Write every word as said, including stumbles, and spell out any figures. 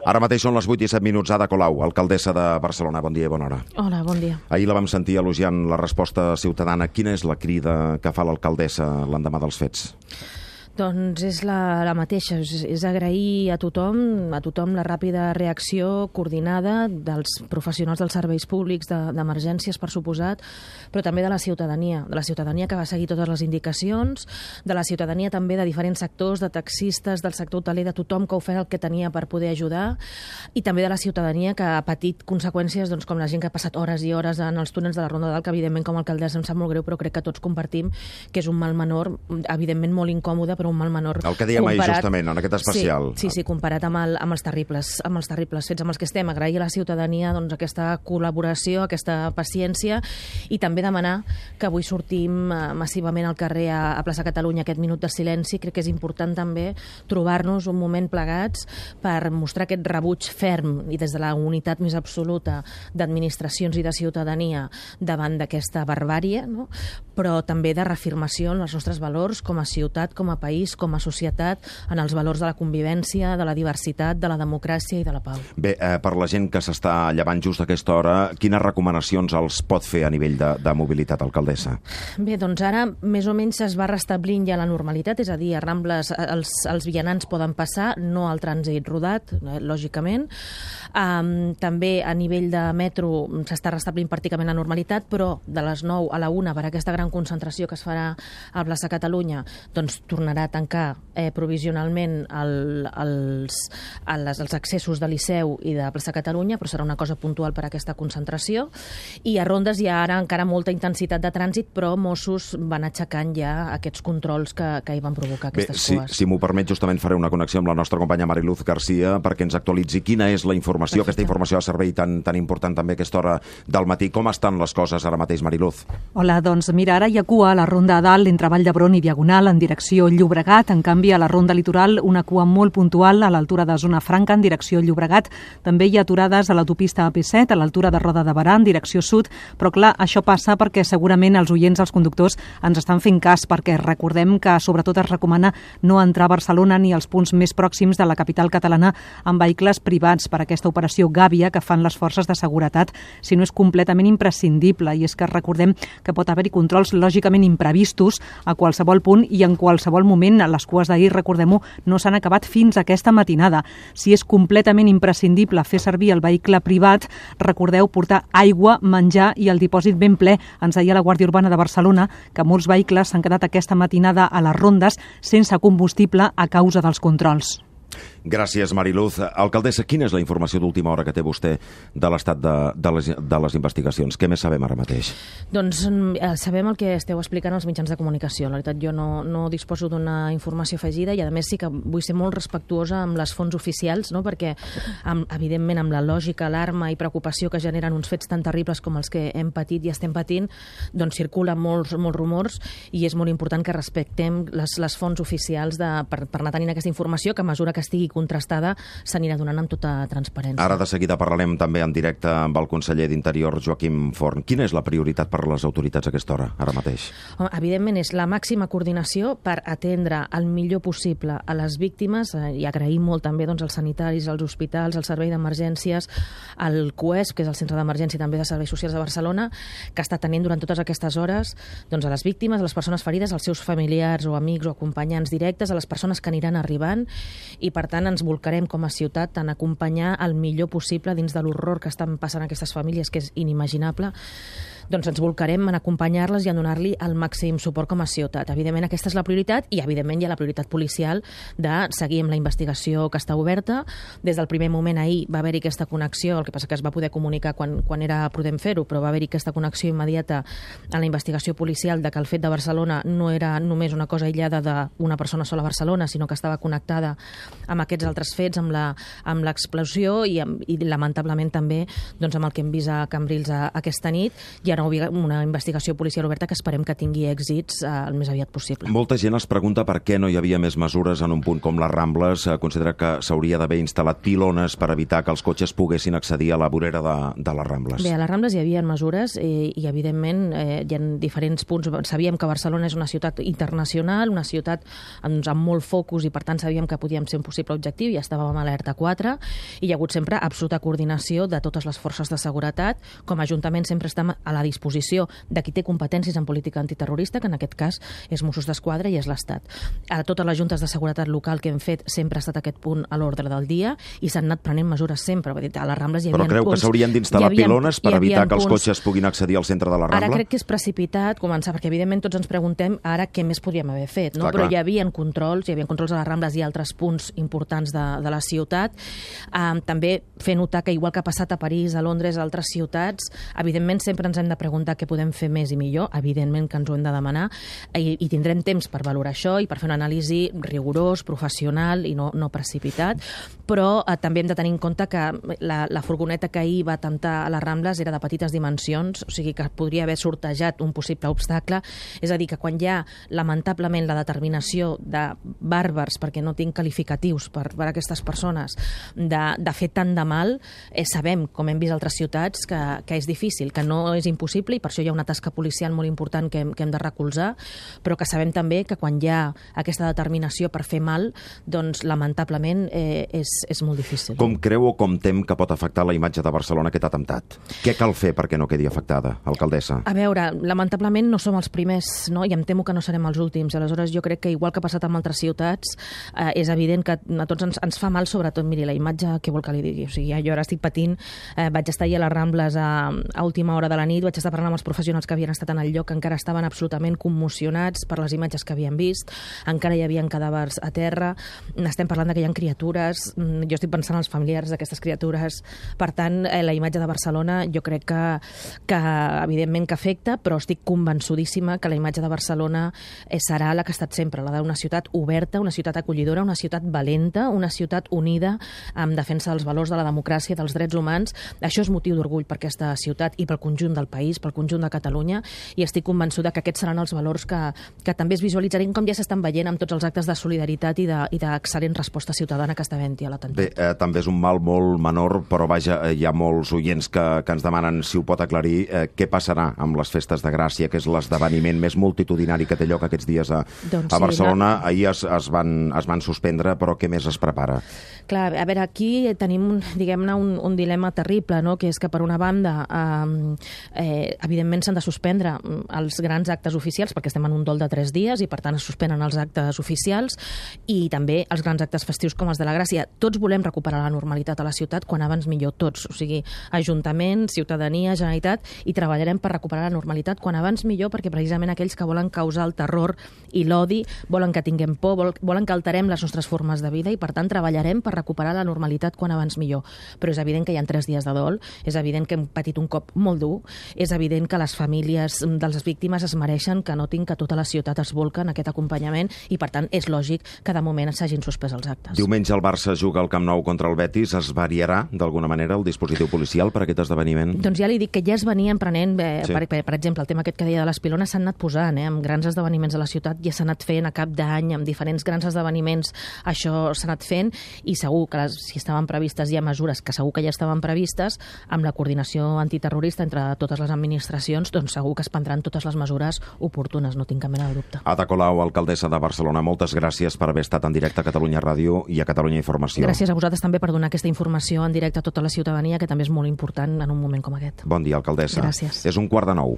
Ara mateix són les vuit i set minuts. Ada Colau, alcaldessa de Barcelona. Bon dia i bona hora. Hola, bon dia. Ahir la vam sentir elogiant la resposta ciutadana. Quina és la crida que fa l'alcaldessa l'endemà dels fets? Doncs és la, la mateixa, és, és agrair a tothom, a tothom la ràpida reacció coordinada dels professionals dels serveis públics d'emergències, de, per suposat, però també de la ciutadania, de la ciutadania que va seguir totes les indicacions, de la ciutadania també de diferents sectors, de taxistes, del sector hoteler, de tothom que ha ofert el que tenia per poder ajudar, i també de la ciutadania que ha patit conseqüències, doncs, com la gent que ha passat hores i hores en els túnels de la Ronda d'Alt, que evidentment com a alcaldessa em sap molt greu, però crec que tots compartim que és un mal menor, evidentment molt incòmode, però un mal menor. El que dèiem ahir justament, en aquest especial. Sí, sí, sí, comparat amb, el, amb, els terribles, amb els terribles fets amb els que estem. Agrair a la ciutadania doncs, aquesta col·laboració, aquesta paciència, i també demanar que avui sortim uh, massivament al carrer a, a Plaça Catalunya, aquest minut de silenci. Crec que és important també trobar-nos un moment plegats per mostrar aquest rebuig ferm i des de la unitat més absoluta d'administracions i de ciutadania davant d'aquesta barbàrie, no? Però també de reafirmació en els nostres valors com a ciutat, com a país, com a societat, en els valors de la convivència, de la diversitat, de la democràcia i de la pau. Bé, eh, per la gent que s'està llevant just a aquesta hora, quines recomanacions els pot fer a nivell de, de mobilitat, alcaldessa? Bé, doncs ara més o menys es va restablint ja la normalitat, és a dir, a Rambles els, els vianants poden passar, no al trànsit rodat, eh, lògicament. Um, també a nivell de metro s'està restablint pràcticament la normalitat, però de les nou a la una, per aquesta gran concentració que es farà a Plaça Catalunya, doncs tornarà a tancar eh, provisionalment el, els, els, els accessos de Liceu i de Plaça Catalunya, però serà una cosa puntual per a aquesta concentració. I a Rondes hi ha ara encara molta intensitat de trànsit, però Mossos van aixecant ja aquests controls que, que hi van provocar aquestes Bé, si, cues. Si m'ho permet, justament faré una connexió amb la nostra companya Mariluz Garcia perquè ens actualitzi quina és la informació, Perfecte. Aquesta informació de servei tan, tan important també a aquesta hora del matí. Com estan les coses ara mateix, Mariluz? Hola, doncs mira, ara hi ha cua a la Ronda Dalt entre Vall d'Hebron i Diagonal en direcció Llobregat. En canvi, a la Ronda Litoral, una cua molt puntual a l'altura de Zona Franca en direcció Llobregat. També hi ha aturades a l'autopista A P set, a l'altura de Roda de Berà en direcció sud, però clar, això passa perquè segurament els oients, els conductors, ens estan fent cas, perquè recordem que sobretot es recomana no entrar a Barcelona ni als punts més pròxims de la capital catalana amb vehicles privats per aquesta operació Gàbia que fan les forces de seguretat, si no és completament imprescindible. I és que recordem que pot haver-hi controls lògicament imprevistos a qualsevol punt i en qualsevol moment. Les cues d'ahir, recordem-ho, no s'han acabat fins aquesta matinada. Si és completament imprescindible fer servir el vehicle privat, recordeu portar aigua, menjar i el dipòsit ben ple. Ens deia la Guàrdia Urbana de Barcelona que molts vehicles s'han quedat aquesta matinada a les rondes sense combustible a causa dels controls. Gràcies, Mariluz. Alcaldessa, quina és la informació d'última hora que té vostè de l'estat de, de, les, de les investigacions? Què més sabem ara mateix? Doncs eh, sabem el que esteu explicant als mitjans de comunicació. La veritat, jo no, no disposo d'una informació afegida i, a més, sí que vull ser molt respectuosa amb les fonts oficials, no? Perquè, amb, evidentment, amb la lògica, alarma i preocupació que generen uns fets tan terribles com els que hem patit i estem patint, doncs circulen molts, molts rumors i és molt important que respectem les, les fonts oficials de, per, per anar tenint aquesta informació, que a mesura que estigui contrastada s'anirà donant amb tota transparència. Ara de seguida parlarem també en directe amb el conseller d'Interior, Joaquim Forn. Quina és la prioritat per a les autoritats a aquesta hora, ara mateix? Home, evidentment és la màxima coordinació per atendre el millor possible a les víctimes eh, i agraïm molt també doncs, als sanitaris, als hospitals, al servei d'emergències, al C U E S, que és el Centre d'Emergència i també de Serveis Socials de Barcelona, que està tenint durant totes aquestes hores doncs, a les víctimes, a les persones ferides, als seus familiars o amics o acompanyants directes, a les persones que aniran arribant, i per tant ens volcarem com a ciutat en acompanyar el millor possible dins de l'horror que estan passant aquestes famílies, que és inimaginable. Doncs ens volcarem en acompanyar-les i en donar-li el màxim suport com a ciutat. Evidentment aquesta és la prioritat i evidentment hi ha la prioritat policial de seguir amb la investigació que està oberta. Des del primer moment ahir va haver-hi aquesta connexió, el que passa que es va poder comunicar quan, quan era prudent fer-ho, però va haver-hi aquesta connexió immediata en la investigació policial de que el fet de Barcelona no era només una cosa aïllada d'una persona sola a Barcelona, sinó que estava connectada amb aquests altres fets, amb la, amb l'explosió i, amb, i lamentablement també doncs, amb el que hem vist a Cambrils a, aquesta nit, i una, una investigació policial oberta que esperem que tingui èxits eh, el més aviat possible. Molta gent es pregunta per què no hi havia més mesures en un punt com les Rambles. Considera que s'hauria d'haver instal·lat pilones per evitar que els cotxes poguessin accedir a la vorera de, de les Rambles. Bé, a les Rambles hi havia mesures i, i evidentment, eh, hi ha diferents punts. Sabíem que Barcelona és una ciutat internacional, una ciutat doncs, amb molt focus i, per tant, sabíem que podíem ser un possible objectiu i estàvem a alerta quatre i hi ha hagut sempre absoluta coordinació de totes les forces de seguretat. Com a Ajuntament sempre estem a la disposició de qui té competències en política antiterrorista, que en aquest cas és Mossos d'Esquadra i és l'Estat. A totes les juntes de seguretat local que hem fet sempre ha estat aquest punt a l'ordre del dia i s'han anat prenent mesures sempre. A les Rambles hi havia Però creu punts, que s'haurien d'instal·lar pilones per evitar que els punts. cotxes puguin accedir al centre de la Rambla? Ara crec que és precipitat començar, perquè evidentment tots ens preguntem ara què més podríem haver fet, no? Clar, Però clar. hi havia controls, hi havia controls a les Rambles i altres punts importants de, de la ciutat. Um, també fer notar que, igual que ha passat a París, a Londres, a altres ciutats, evidentment sempre ens hem de preguntar què podem fer més i millor, evidentment que ens ho hem de demanar, i, i tindrem temps per valorar això i per fer una anàlisi rigorós, professional i no, no precipitat, però eh, també hem de tenir en compte que la, la furgoneta que ahir va atemptar a les Rambles era de petites dimensions, o sigui que podria haver sortejat un possible obstacle. És a dir, que quan hi ha, lamentablement, la determinació de bàrbars, perquè no tinc qualificatius per, per a aquestes persones, de, de fer tant de mal, eh, sabem, com hem vist a altres ciutats, que, que és difícil, que no és impossible, i per això hi ha una tasca policial molt important que hem, que hem de recolzar, però que sabem també que quan hi ha aquesta determinació per fer mal, doncs, lamentablement, eh, és, és molt difícil. Com creu o com tem que pot afectar la imatge de Barcelona aquest atemptat? Què cal fer perquè no quedi afectada, alcaldessa? A veure, lamentablement no som els primers, no? I em temo que no serem els últims. Aleshores, jo crec que, igual que ha passat amb altres ciutats, eh, és evident que a tots ens, ens fa mal, sobretot, miri, la imatge, què vol que li digui? O sigui, jo ara estic patint, eh, vaig estar ahir a les Rambles a, a última hora de la nit, vaig estar parlant amb els professionals que havien estat en el lloc, que encara estaven absolutament commocionats per les imatges que havien vist, encara hi havia cadàvers a terra, estem parlant que hi ha criatures, jo estic pensant en els familiars d'aquestes criatures. Per tant, eh, la imatge de Barcelona jo crec que, que evidentment que afecta, però estic convençudíssima que la imatge de Barcelona eh, serà la que ha estat sempre, la d'una ciutat oberta, una ciutat acollidora, una ciutat valenta, una ciutat unida en defensa dels valors de la democràcia, dels drets humans. Això és motiu d'orgull per aquesta ciutat i pel conjunt del país, pel conjunt de Catalunya, i estic convençuda que aquests seran els valors que, que també es visualitzarien, com ja s'estan veient amb tots els actes de solidaritat i d'excel·lent resposta ciutadana que està havent-hi a l'atemptat. Bé, eh, també és un mal molt menor, però vaja, eh, hi ha molts oients que, que ens demanen si ho pot aclarir, eh, què passarà amb les festes de Gràcia, que és l'esdeveniment més multitudinari que té lloc aquests dies a, doncs a Barcelona. Sí, la... Ahir es, es, van, es van suspendre, però què més es prepara? Clar, a veure, aquí tenim, diguem-ne, un, un dilema terrible, no? Que és que, per una banda, eh, eh, evidentment s'han de suspendre els grans actes oficials, perquè estem en un dol de tres dies i, per tant, es suspenen els actes oficials, i també els grans actes festius com els de la Gràcia. Tots volem recuperar la normalitat a la ciutat, quan abans millor, tots, o sigui, Ajuntament, ciutadania, Generalitat, i treballarem per recuperar la normalitat quan abans millor, perquè precisament aquells que volen causar el terror i l'odi volen que tinguem por, volen que alterem les nostres formes de vida, i, per tant, treballarem per recuperar la normalitat quan abans millor. Però és evident que hi ha tres dies de dol, és evident que hem patit un cop molt dur, és evident que les famílies de les víctimes es mereixen que notin que tota la ciutat es volca en aquest acompanyament, i, per tant, és lògic que de moment s'hagin suspès els actes. Diumenge el Barça juga al Camp Nou contra el Betis. Es variarà d'alguna manera el dispositiu policial per aquest esdeveniment? Doncs ja li dic que ja es venien prenent, eh, sí. per, per, per exemple, el tema aquest que deia de les pilones s'han anat posant, eh, amb grans esdeveniments de la ciutat, ja s'ha anat fent a cap d'any, amb diferents grans esdeveniments, això s'ha anat fent, i segur que les, si estaven previstes ja mesures, que segur que ja estaven previstes, amb la coordinació antiterrorista entre totes les administracions, doncs segur que es prendran totes les mesures oportunes, no tinc cap mena de dubte. Ada Colau, alcaldessa de Barcelona, moltes gràcies per haver estat en directe a Catalunya Ràdio i a Catalunya Informació. Gràcies a vosaltres també per donar aquesta informació en directe a tota la ciutadania, que també és molt important en un moment com aquest. Bon dia, alcaldessa. Gràcies. És un quart de nou.